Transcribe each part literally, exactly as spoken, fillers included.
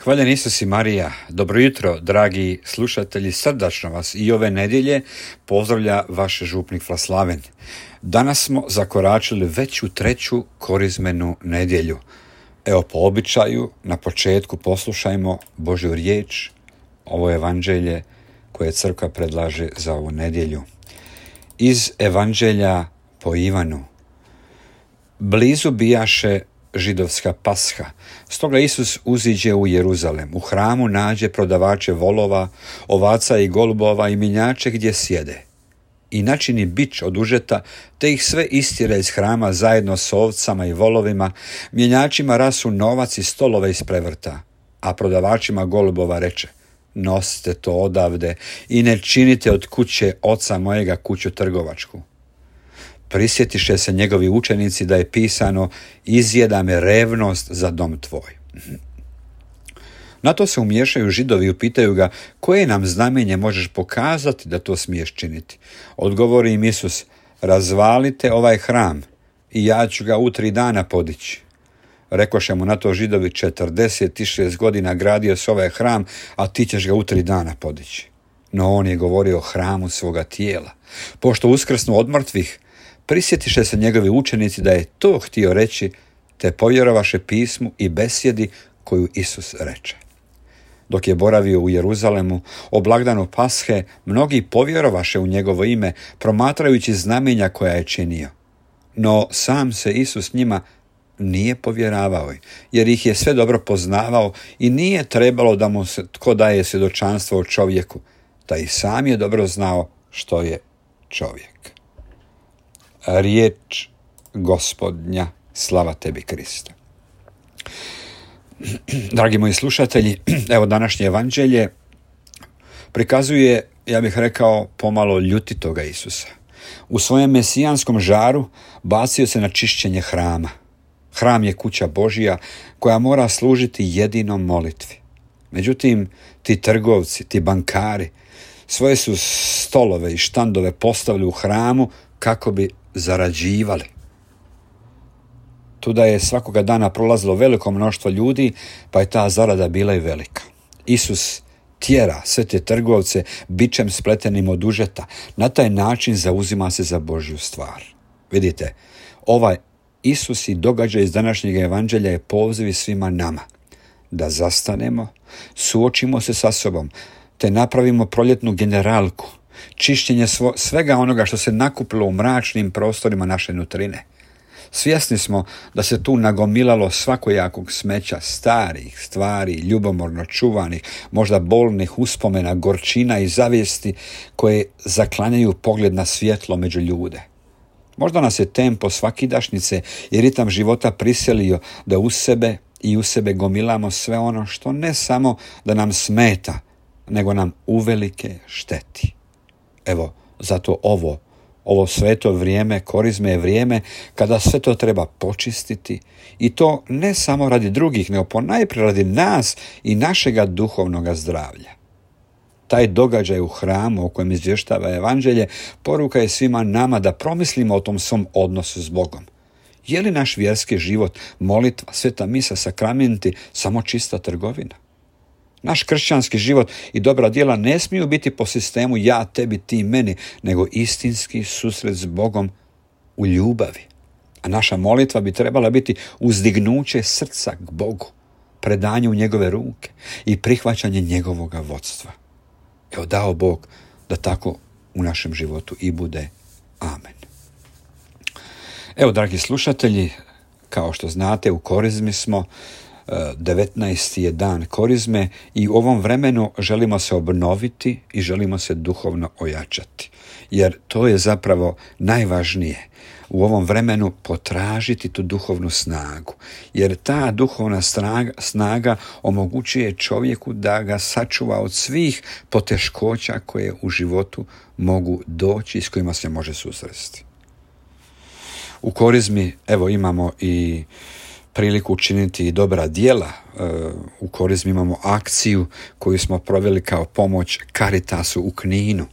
Hvaljen Isus i Marija, dobro jutro, dragi slušatelji, srdačno vas i ove nedjelje pozdravlja vaš župnik Vlaslaven. Danas smo zakoračili već u treću korizmenu nedjelju. Evo, po običaju, na početku poslušajmo Božju riječ, ovo evanđelje koje crkva predlaže za ovu nedjelju. Iz evanđelja po Ivanu. Blizu bijaše židovska pasha. Stoga Isus uziđe u Jeruzalem. U hramu nađe prodavače volova, ovaca i golubova i mjenjače gdje sjede. I načini bič od užeta, te ih sve istjera iz hrama zajedno s ovcama i volovima, mjenjačima rasu novac i stolove isprevrta, a prodavačima golubova reče: nosite to odavde i ne činite od kuće oca mojega kuću trgovačku. Prisjetiše se njegovi učenici da je pisano: izjeda me revnost za dom tvoj. Na to se umiješaju Židovi i upitaju ga: koje nam znamenje možeš pokazati da to smiješ činiti? Odgovori im Isus: razvalite ovaj hram i ja ću ga u tri dana podići. Rekoše mu na to Židovi: četrdeset šest godina gradio se ovaj hram, a ti ćeš ga u tri dana podići. No on je govorio o hramu svoga tijela. Pošto uskrsnu od mrtvih, prisjetiše se njegovi učenici da je to htio reći, te povjerovaše pismu i besjedi koju Isus reče. Dok je boravio u Jeruzalemu, o blagdanu Pashe, mnogi povjerovaše u njegovo ime, promatrajući znamenja koja je činio. No sam se Isus njima nije povjeravao, jer ih je sve dobro poznavao i nije trebalo da mu se tko daje svjedočanstvo o čovjeku, da i sam je dobro znao što je čovjek. Riječ Gospodnja, slava tebi Kriste. Dragi moji slušatelji, evo današnje evanđelje prikazuje, ja bih rekao, pomalo ljutitoga Isusa. U svojem mesijanskom žaru bacio se na čišćenje hrama. Hram je kuća Božja koja mora služiti jedinom molitvi. Međutim, ti trgovci, ti bankari svoje su stolove i štandove postavili u hramu kako bi zarađivali. Tuda je svakoga dana prolazilo veliko mnoštvo ljudi, pa je ta zarada bila i velika. Isus tjera sve te trgovce bičem spletenim od užeta. Na taj način zauzima se za Božju stvar. Vidite, ovaj Isus i događaj iz današnjeg evanđelja je poziv svima nama da zastanemo, suočimo se sa sobom, te napravimo proljetnu generalku, čišćenje svo, svega onoga što se nakupilo u mračnim prostorima naše nutrine. Svjesni smo da se tu nagomilalo svakojakog smeća, starih stvari, ljubomorno čuvanih, možda bolnih uspomena, gorčina i zavijesti koje zaklanjaju pogled na svjetlo među ljude. Možda nas je tempo svakidašnjice i ritam života prisilio da u sebe i u sebe gomilamo sve ono što ne samo da nam smeta, nego nam uvelike šteti. Evo, zato ovo, ovo sveto vrijeme, korizme je vrijeme kada sve to treba počistiti, i to ne samo radi drugih, nego ponajprije radi nas i našega duhovnoga zdravlja. Taj događaj u hramu o kojem izvještava evanđelje poruka je svima nama da promislimo o tom svom odnosu s Bogom. Je li naš vjerski život, molitva, sveta misa, sakramenti samo čista trgovina? Naš kršćanski život i dobra djela ne smiju biti po sistemu ja, tebi, ti, meni, nego istinski susret s Bogom u ljubavi. A naša molitva bi trebala biti uzdignuće srca k Bogu, predanje u njegove ruke i prihvaćanje njegovoga vodstva. Evo, dao Bog da tako u našem životu i bude. Amen. Evo, dragi slušatelji, kao što znate, u korizmi smo. devetnaesti je dan korizme i u ovom vremenu želimo se obnoviti i želimo se duhovno ojačati. Jer to je zapravo najvažnije. U ovom vremenu potražiti tu duhovnu snagu. Jer ta duhovna snaga, snaga omogućuje čovjeku da ga sačuva od svih poteškoća koje u životu mogu doći i s kojima se može susresti. U korizmi, evo, imamo i priliku učiniti dobra djela. U korizmi imamo akciju koju smo proveli kao pomoć Caritasu u Kninu.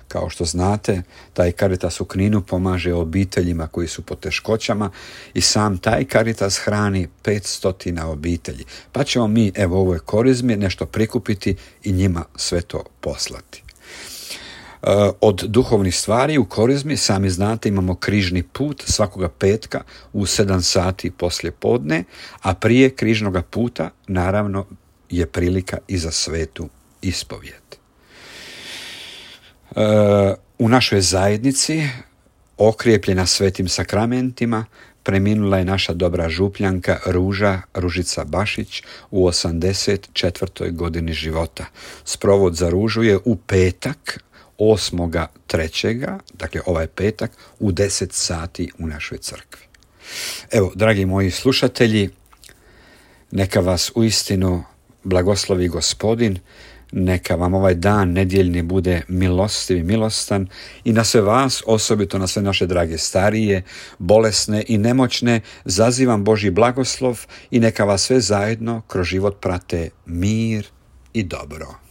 Kao što znate, taj Caritas u Kninu pomaže obiteljima koji su pod teškoćama i sam taj Caritas hrani petsto obitelji. Pa ćemo mi, evo u ovoj korizmi, nešto prikupiti i njima sve to poslati. Od duhovnih stvari u korizmi, sami znate, imamo križni put svakoga petka u sedam sati poslije podne, a prije križnoga puta naravno je prilika i za svetu ispovijed. U našoj zajednici, okrijepljena svetim sakramentima, preminula je naša dobra župljanka Ruža Ružica Bašić u osamdeset četvrtoj godini života. Sprovod za Ružu je u petak, osmoga trećega, dakle ovaj petak, u deset sati u našoj crkvi. Evo, dragi moji slušatelji, neka vas uistinu blagoslovi Gospodin, neka vam ovaj dan nedjeljni bude milostiv i milostan i na sve vas, osobito na sve naše drage starije, bolesne i nemoćne, zazivam Božji blagoslov i neka vas sve zajedno kroz život prate mir i dobro.